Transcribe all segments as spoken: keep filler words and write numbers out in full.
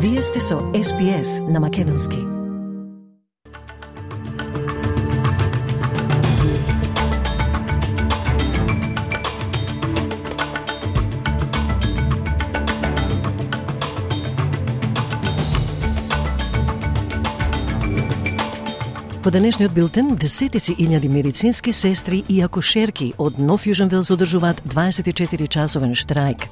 Вие сте со Ес Би Ес на Македонски. Во денешниот билтен, десетици илјади медицински сестри и акушерки од Нов Јужен Велс одржуваат дваесет и четири часовен штрајк.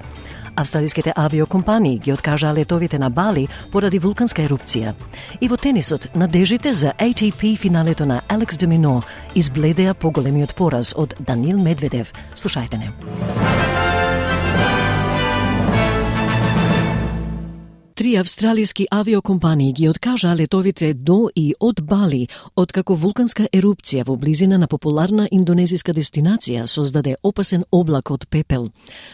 Австралиските авиокомпании ги откажаа летовите на Бали поради вулканска ерупција. И во тенисот, надежите за А Т П финалето на Алекс де Мино избледеа поголемиот пораз од Даниил Медведев. Слушајте не. Три австралиски авиокомпании ги откажаа летовите до и од Бали, откако вулканска ерупција во близина на популарна индонезиска дестинација создаде опасен облак од пепел.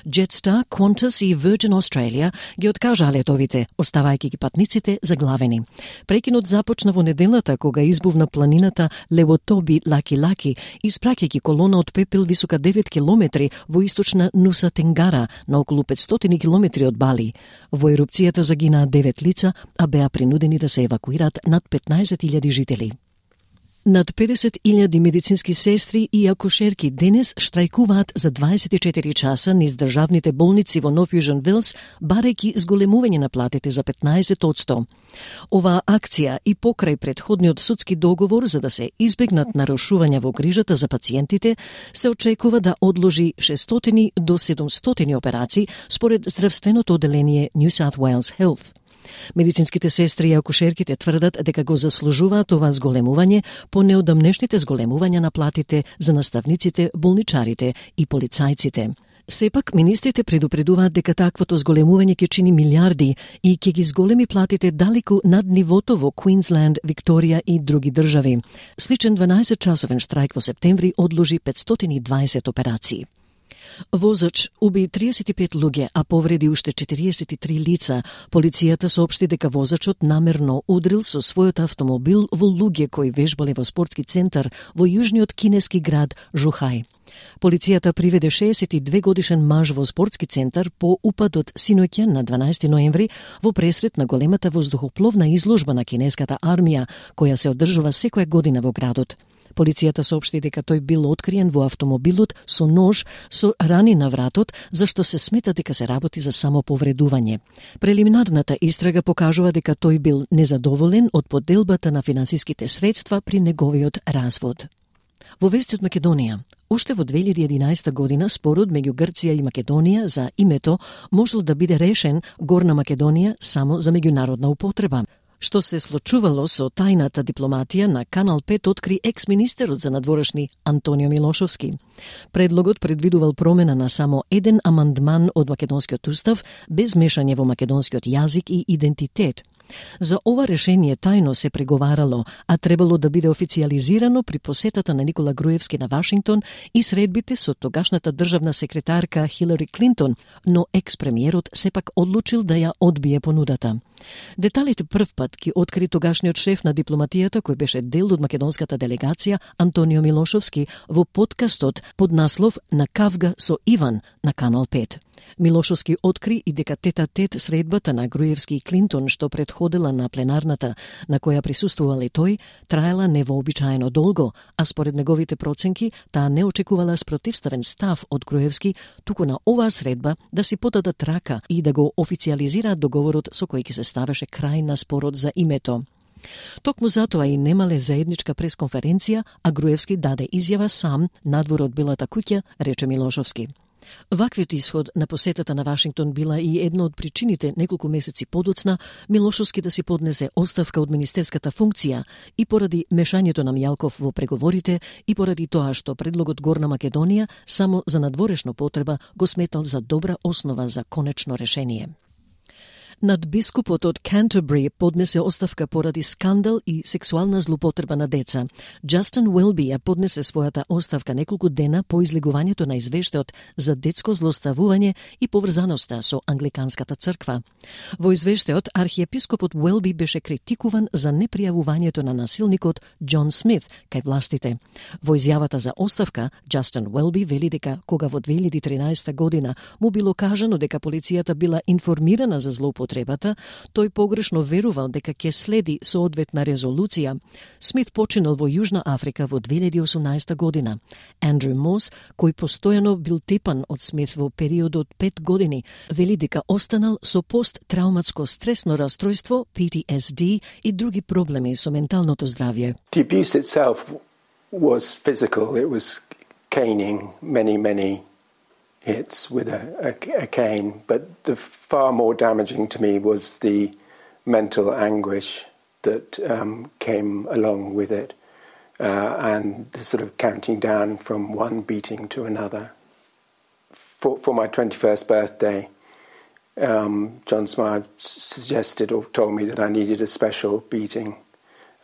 Jetstar, Qantas и Virgin Australia ги откажаа летовите, оставајќи ги патниците заглавени. Прекинот започна во неделата кога избувна планината Левотоби Лаки-Лаки, испраќајќи колона од пепел висока девет километри во источна Нуса Тенгара, на околу петстотини километри од Бали. Во ерупцијата загинаа девет лица, а беа принудени да се евакуират над петнаесет илјади жители. Над педесет илјади медицински сестри и акушерки денес штрајкуваат за дваесет и четири часа низ државните болници во Нов Јужен Велс, барајќи зголемување на платите за петнаесет одсто. Оваа акција и покрај претходниот судски договор за да се избегнат нарушувања во грижата за пациентите, се очекува да одложи шестстотини до седумстотини операции според здравственото оделение New South Wales Health. Медицинските сестри и акушерките тврдат дека го заслужуваат ова зголемување по неодамнешните зголемувања на платите за наставниците, болничарите и полицајците. Сепак, министрите предупредуваат дека таквото зголемување ќе чини милиарди и ќе ги зголеми платите далеку над нивото во Квинсленд, Викторија и други држави. Сличен дванаесет часовен штрајк во септември одложи петстотини и дваесет операции. Возач уби триесет и пет луѓе, а повреди уште четириесет и три лица. Полицијата соопшти дека возачот намерно удрил со својот автомобил во луѓе кои вежбале во спортски центар во јужниот кинески град Жухај. Полицијата приведе шеесет и две годишен маж во спортски центар по упадот синоќа на дванаесети ноември во пресрет на големата воздухопловна изложба на кинеската армија, која се одржува секоја година во градот. Полицијата соопшти дека тој бил откриен во автомобилот со нож со рани на вратот, зашто се смета дека се работи за самоповредување. Прелиминарната истрага покажува дека тој бил незадоволен од поделбата на финансиските средства при неговиот развод. Во вести од Македонија, уште во две илјади и единаесета година спорот меѓу Грција и Македонија за името можел да биде решен Горна Македонија само за меѓународна употреба. Што се случувало со тајната дипломатија на Канал пет откри екс-министерот за надворешни Антонио Милошовски. Предлогот предвидувал промена на само еден амандман од македонскиот устав без мешање во македонскиот јазик и идентитет. За ова решение тајно се преговарало, а требало да биде официјализирано при посетата на Никола Груевски на Вашингтон и средбите со тогашната државна секретарка Хилари Клинтон, но екс-премиерот сепак одлучил да ја одбие понудата. Деталите прв пат ги откри тогашниот шеф на дипломатијата, кој беше дел од македонската делегација, Антонио Милошовски, во подкастот под наслов "На кавга со Иван" на Канал пет. Милошовски откри и дека тет-а-тет средбата на Груевски и Клинтон, што предходела на пленарната, на која присуствувал и тој, траела невообичаено долго, а според неговите проценки, таа не очекувала спротивставен став од Груевски, туку на оваа средба да си подадат рака и да го официјализираат договорот со кој ќе се ставеше крај на спорот за името. Токму затоа и немале заедничка пресконференција, а Груевски даде изјава сам надвор од Белата куќа, рече Милошовски. Ваквиот исход на посетата на Вашингтон била и една од причините неколку месеци подоцна Милошовски да си поднесе оставка од министерската функција и поради мешањето на Мјалков во преговорите и поради тоа што предлогот Горна Македонија само за надворешна потреба го сметал за добра основа за конечно решение. Надбискупот од Canterbury поднесе оставка поради скандал и сексуална злоупотреба на деца. Джастин Уелби ја поднесе својата оставка неколку дена по излегувањето на извештајот за детско злоставување и поврзаноста со англиканската црква. Во извештајот архиепископот Уелби беше критикуван за непријавувањето на насилникот Џон Смит кај властите. Во изјавата за оставка, Джастин Уелби вели дека кога во две илјади и тринаесета година му било кажано дека полицијата била информирана за злоупотреба употребата, тој погрешно верувал дека ќе следи соодветна резолуција. Смит починал во Јужна Африка во две илјади и осумнаесета година. Андрю Мос, кој постојано бил тепан од Смит во период од пет години, вели дека останал со посттрауматско стресно растројство, P T S D и други проблеми со менталното здравје. The abuse itself was physical. It was caning, many, many hits with a, a, a cane. But the far more damaging to me was the mental anguish that um, came along with it, uh, and the sort of counting down from one beating to another. For, for my twenty-first birthday, um, John Smythe suggested or told me that I needed a special beating.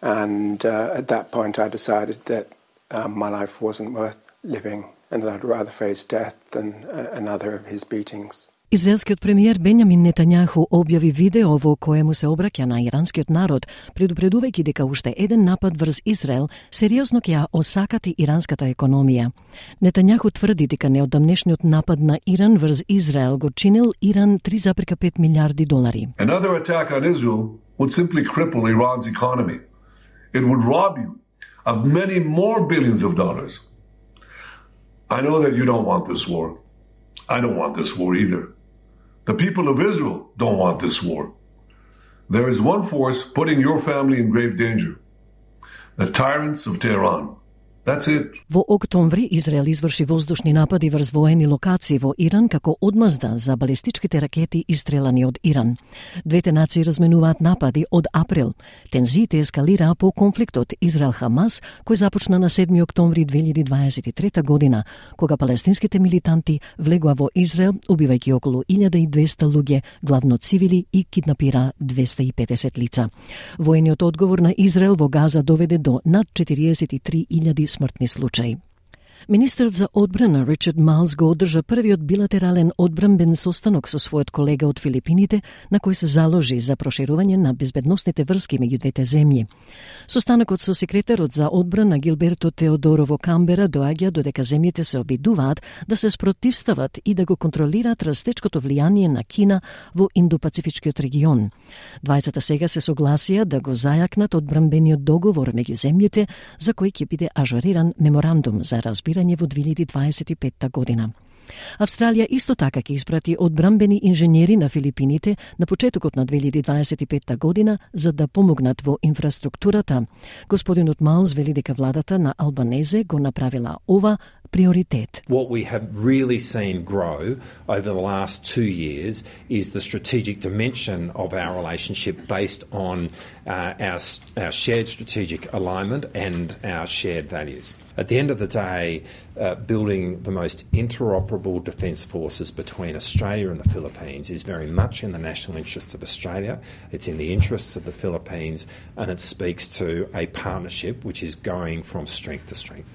And uh, at that point I decided that um, my life wasn't worth living and that I'd rather face death than uh, another of his beatings. Израелскиот премиер Бенјамин Нетањаху објави видео во кое му се обраќа на иранскиот народ, предупредувајќи дека уште еден напад врз Израел сериозно ќе ја осакати иранската економија. Нетањаху тврди дека неодамнешниот напад на Иран врз Израел го чинил Иран три zarez пет милиарди долари. Another attack on Israel would simply cripple Iran's economy. It would rob you of many more billions of dollars. I know that you don't want this war. I don't want this war either. The people of Israel don't want this war. There is one force putting your family in grave danger. The tyrants of Tehran. That's it. Во октомври Израел изврши воздушни напади врз воени локации во Иран како одмазда за балистичките ракети истрелани од Иран. Двете нации разменуваат напади од април. Тензиите ескалираа по конфликтот Израел-Хамас, кој започна на седми октомври две илјади дваесет и трета година, кога палестинските милитанти влегоа во Израел, убивајќи околу илјада и двесте луѓе, главно цивили, и киднапира двесте и педесет лица. Воениот одговор на Израел во Газа доведе до над четириесет и три илјади смртни случаи. Министерот за одбрана Ричард Малс го одржа првиот билатерален одбранбен состанок со својот колега од Филипините, на кој се заложи за проширување на безбедносните врски меѓу двете земји. Состанокот со секретарот за одбрана Гилберто Теодоро во Камбера доаѓа додека земјите се обидуваат да се спротивстават и да го контролираат растечкото влијание на Кина во Индо-Пацифичкиот регион. Двајцата сега се согласија да го зајакнат одбранбениот договор меѓу земјите, за кој ќе биде ажуриран меморандум за разбирање во две илјади дваесет и петта година. Австралија исто така ќе испрати одбранбени инженери на Филипините на почетокот на две илјади дваесет и петта година за да помогнат во инфраструктурата. Господинот Малс вели дека владата на Албанезе го направила ова приоритет. What we have really seen grow over the last two years is the strategic dimension of our relationship based on uh, our, our shared strategic alignment and our shared values. At the end of the day, uh, building the most interoperable defence forces between Australia and the Philippines is very much in the national interests of Australia, it's in the interests of the Philippines, and it speaks to a partnership which is going from strength to strength.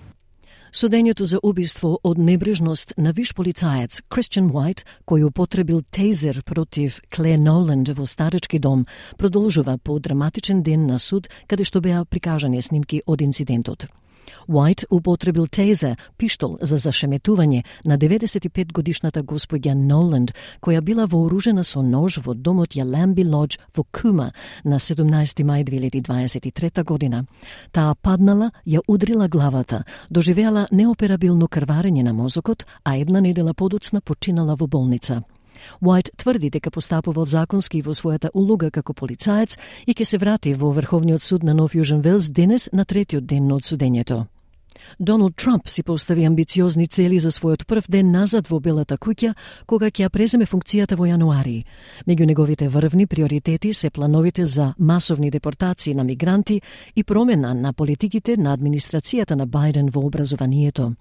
Судењето за убиство од небрежност на виш полицаец Кристијан Уајт, кој употребил тейзер против Клеј Ноленд во старечки дом, продолжува по драматичен ден на суд, каде што беа прикажани снимки од инцидентот. Уајт употребил тейзер, пиштол за зашеметување на деветдесет и пет годишната господја Ноленд, која била вооружена со нож во домот Јаламби Лодж во Кума на седумнаесети мај две илјади дваесет и трета година. Таа паднала, ја удрила главата, доживеала неоперабилно крварење на мозокот, а една недела подоцна починала во болница. Уајт тврди дека постапувал законски во својата улога како полицаец и ќе се врати во Врховниот суд на Нов Јужен Велс денес на третиот ден од судењето. Доналд Трамп си постави амбициозни цели за својот прв ден назад во Белата куќа, кога ќе ја преземе функцијата во јануари. Меѓу неговите врвни приоритети се плановите за масовни депортации на мигранти и промена на политиките на администрацијата на Бајден во образованието.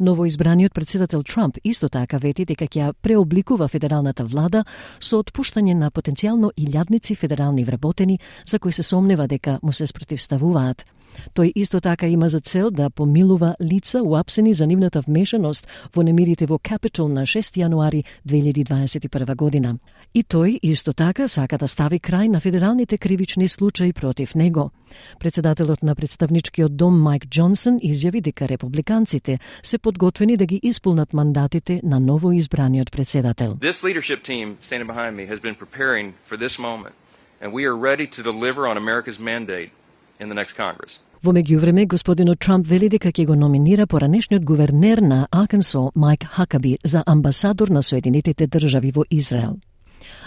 Новоизбраниот председател Трамп исто така вети дека ќе ја преобликува федералната влада со отпуштање на потенцијално илјадници федерални вработени за кои се сомнева дека му се спротивставуваат. Тој исто така има за цел да помилува лица уапсени за нивната вмешаност во немирите во Капитол на шести јануари две илјади дваесет и прва година. И тој исто така сака да стави крај на федералните кривични случаи против него. Председателот на представничкиот дом Майк Џонсон изјави дека републиканците се подготвени да ги исполнат мандатите на ново избраниот председател. This leadership team standing behind me has been preparing for this moment, and we are ready to deliver on America's mandate in the next Congress. Во меѓувреме, господинот Трамп вели дека ќе го номинира поранешниот гувернер на Аркансо Майк Хакаби за амбасадор на Соединетите држави во Израел.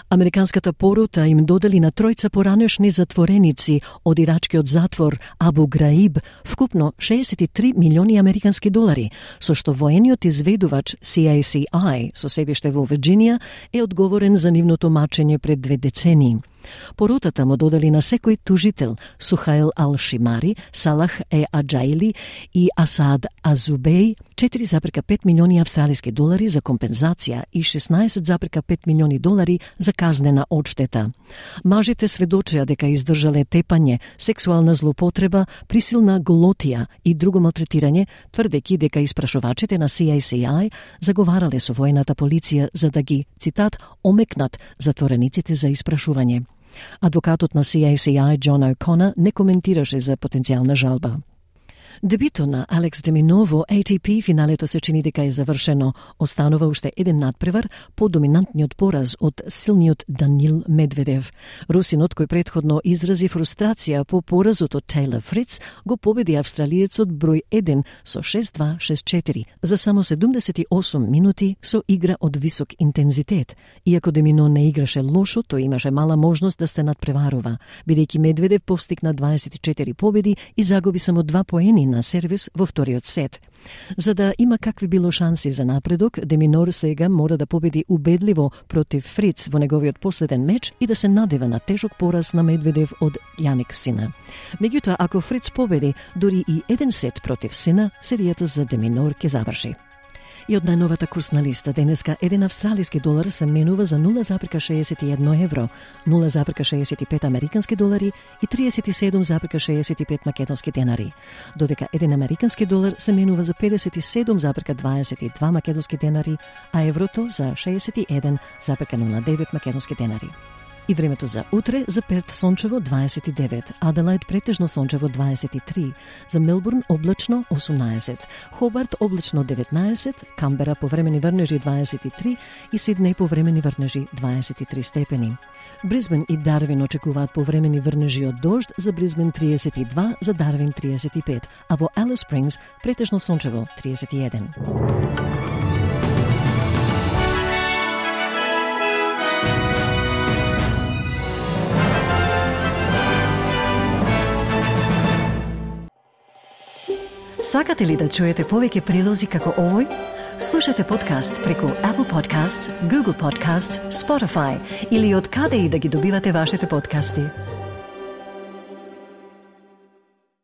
Американската порута им додели на тројца поранешни затвореници од ирачкиот затвор Абу Граиб вкупно шеесет и три милиони американски долари, со што воениот изведувач Си Ей Си Ај со седиште во Вирџинија е одговорен за нивното мачење пред две децении. Порутата му додели на секој тужител Сухаил Ал-Шимари, Салах Е Аджаили и Асад Азубеј четири зарез пет милиони австралиски долари за компензација и шеснаесет зарез пет милиони долари за казнена одштета. Мажите сведочеа дека издржале тепање, сексуална злоупотреба, присилна голотија и друго малтретирање, тврдејќи дека испрашувачите на Си Ей Си Ај заговарале со воената полиција за да ги, цитат, омекнат затворениците за испрашување. Адвокатот на Си Ей Си Ај Џон О'Конер не коментираше за потенцијална жалба. Дебито на Алекс де Мино во Ей Ти Пи финалето се чини дека е завршено. Останува уште еден надпревар по доминантниот пораз од силниот Данил Медведев. Русинот, кој претходно изрази фрустрација по поразот од Тейлор Фриц, го победи австралиецот број еден со шест два шест четири за само седумдесет и осум минути со игра од висок интензитет. Иако де Мино не играше лошо, тој имаше мала можност да се надпреварува, бидејќи Медведев постигна дваесет и четири победи и загуби само два поени на сервис во вториот сет. За да има какви било шанси за напредок, де Минор сега мора да победи убедливо против Фриц во неговиот последен меч и да се надева на тежок пораз на Медведев од Јаник Сина. Меѓутоа, ако Фриц победи дури и еден сет против Сина, серијата за де Минор ќе заврши. И од најновата курсна листа, денеска еден австралиски долар се менува за нула зарез шеесет и едно евро, нула зарез шеесет и пет американски долари и триесет и седум зарез шеесет и пет македонски денари, додека еден американски долар се менува за педесет и седум зарез дваесет и два македонски денари, а еврото за шеесет и еден зарез нула девет македонски денари. И времето за утре: за Перт сончево дваесет и девет, Аделајд претежно сончево дваесет и три, за Мелбурн облачно осумнаесет, Хобарт облачно деветнаесет, Камбера повремени врнежи дваесет и три и Сиднеј повремени врнежи дваесет и три степени. Бризбен и Дарвин очекуваат повремени врнежи од дожд, за Бризбен триесет и два, за Дарвин триесет и пет, а во Алис Спрингс претежно сончево триесет и еден. Сакате ли да чуете повеќе прилози како овој? Слушате подкаст преку Apple Podcasts, Google Podcasts, Spotify или од каде и да ги добивате вашите подкасти.